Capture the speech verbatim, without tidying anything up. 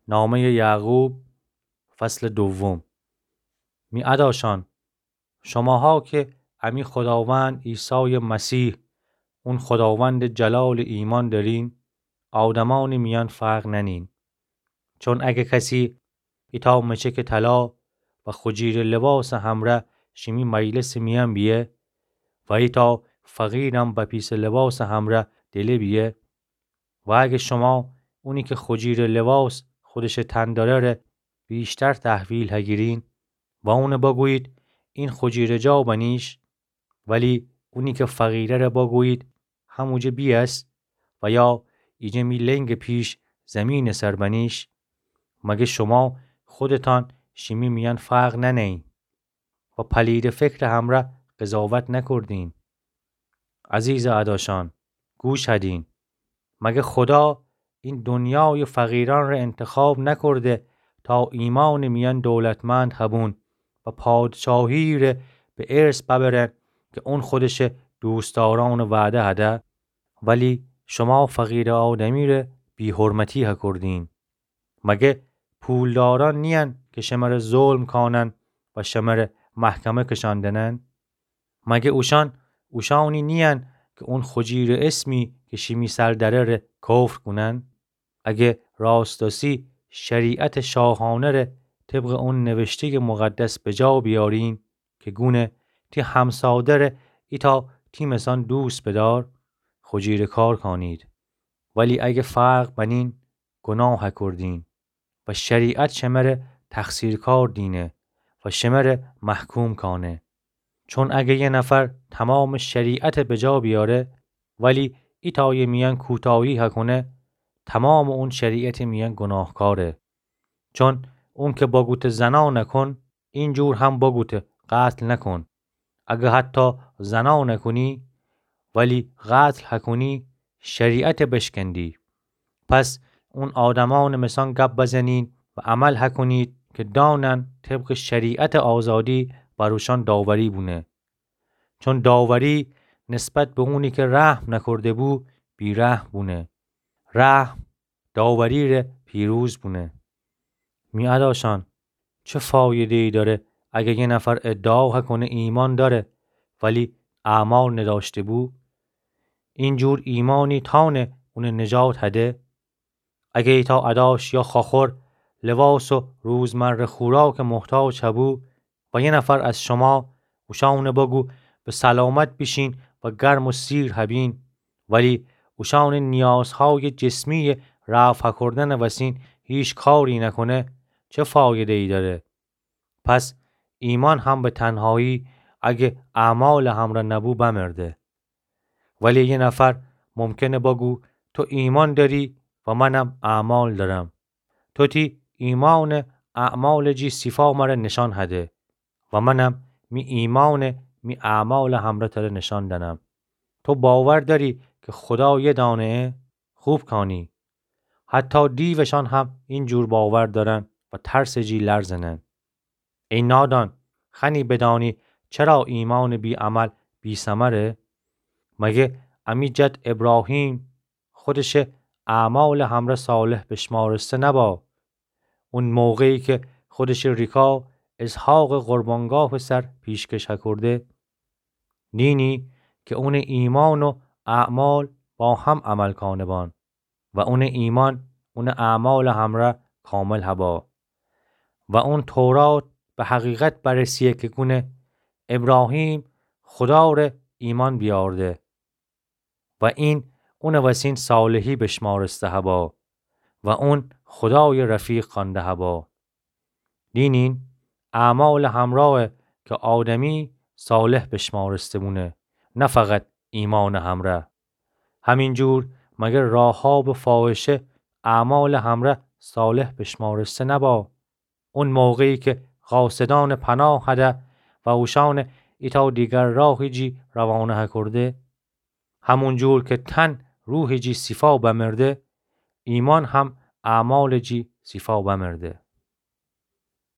نامهٔ یعقوب، فصل دوم. می اداشان، شماها که امی خداوند عیسی مسیح، اون خداوند جلال، ایمأن دأرین، آدمأنٚ میأن فرق نأنین. چون اگه کسی ایتأ مچکٚ طلا و خو جیرٚ لباسٚ همرأ شیمی مجلسٚ میأن بیه و ایتأ فقیرم بپیسٚ لباسٚ همرأ دله بیه، و اگه شما اونی که خو جیرٚ لباس خودشٚ تن دأره‌ره ویشتر تحویل هگیرین و اونٚ بگویید: این خو جیرٚ جا بنیش، ولی اونی که فقیره‌ره بگویید: هموجه بیأس، و یا ایجه می لنگٚ پیش زمینٚ سر بنیش، مگه شما خودتأن شیمی میأن فرق نأنه‌یین و پلیدٚ فکرٚ همرأ قضاوت نکردین؟ عزیزٚ اداشان، گوش هدین. مگه خدا این دنیایٚ فقیرأنٚره انتخاب نکرده تا ایمأنٚ میأن دولتمند هبون و پادشاهی‌ره به ارث ببرن که اون خودشٚ دوستدارأنٚ وعده هده؟ ولی شما فقیرٚ آدمی‌ره بی‌حرمتی هکردین. مگه پولدارأن نیین که شمره ظلم کانن و شمره محکمه کشأندنن؟ مگه اوشأن اوشأنی نیین که اون خو جیرٚ اسمی که شیمی سر دأره‌ره کفر کونن؟ اگه راستاسی شریعتٚ شاهانه‌ره طبقٚ اون نوشته‌یٚ مقدس بجا بیارین که گونه: تی همساده‌ره ایتأ تی مثأن دوست بدأر، خو جیرٚ کار کانید. ولی اگه فرق بنین، گناه هکردین و شریعت شمره تقصیرکار دینه و شمره محکوم کانه. چون اگه یه نفر تمامٚ شریعت بجا بیاره، ولی ایتأیٚ میأن کوتاهی هکونه، تمامٚ اون شریعتٚ میأن گناهکاره. چون اون که بگوته: زنا نکن، اینجور هم بگوته: قتل نکن. اگه حتی زنا نکنی، ولی قتل هکنی، شریعت بشکندی. پس اون آدمأنٚ مثأن گب بزنین و عمل هکنید که دانن طبقٚ شریعتٚ آزادی بر اوشأن داوری بونه. چون داوری نسبت به اونی که رحم نکرده بو، بی‌رحم بونه. رحم داوری‌ره پیروز بونه. می اداشان، چه فایده‌یی دأره اگه یه نفر ادعا هکنه ایمأن دأره، ولی اعمال ندأشته بو؟ اینجور ایمأنی تأنه اونٚ نجات هده؟ اگه ایتأ اداش یا خواخور لباس و روزمره خوراکٚ محتاج هبو و یه نفر از شما اوشأنٚ بگو: به سلامت بیشین و گرم و سیر هبین، ولی اوشأنٚ نیازهایٚ جسمی‌یٚ رفع هکردنٚ وسین هیچ کاری نکنه، چه فایده‌یی دأره؟ پس ایمأن هم به تنهایی، اگه اعمالٚ همرأ نبو، بمرده. ولی یه نفر ممکنه بگو: تو ایمأن دأری و منم اعمال دأرم. تو تی ایمأنٚ اعمالٚ جی صیفا مره نشأن هده و منم می ایمأنٚ می اعمالٚ همرأ تره نشأن دأنم. تو باور دأری که خدا یه دأنه‌یه؟ خوب کانی. حتی دیوشأن هم اینجور باور دأرن و ترسٚ جی لرزنن. ای نادان، خوأنی بدانی چرا ایمأنٚ بی‌عمل بی‌ثمره؟ مگه امی جد ابراهیم خودشٚ اعمالٚ همرأ صالح بشمارسته نبا؟ اون موقعی که خودشٚ ریکا اسحاقٚ قربانگاهٚ سر پیشکش هکرده؟ دینی که اونٚ ایمأن و اعمال با هم عمل کانه بان و اونٚ ایمأن اونٚ اعمالٚ همرأ کامل هبا. و اون تورات به حقیقت برسیه که گونه: ابراهیم خداره ایمأن بیأورده و این اونٚ وسین صالحی بشمارسته هبا و اون خدایٚ رفیق خوأنده هبا. دینین اعمالٚ همرأه که آدمی صالح بشمارسته بونه، نه فقط ایمأنٚ همرأ. همینجور مگر راحابٚ فاحشه اعمالٚ همرأ صالح بشمارسته نبا؟ اون موقعی که قاصدأنٚ پناه هده و اوشأنٚ ایتأ دیگر راهٚ جی روانه هکرده؟ همونجور که تن روحٚ جی صیفا بمرده، ایمأن هم اعمالٚ جی صیفا بمرده.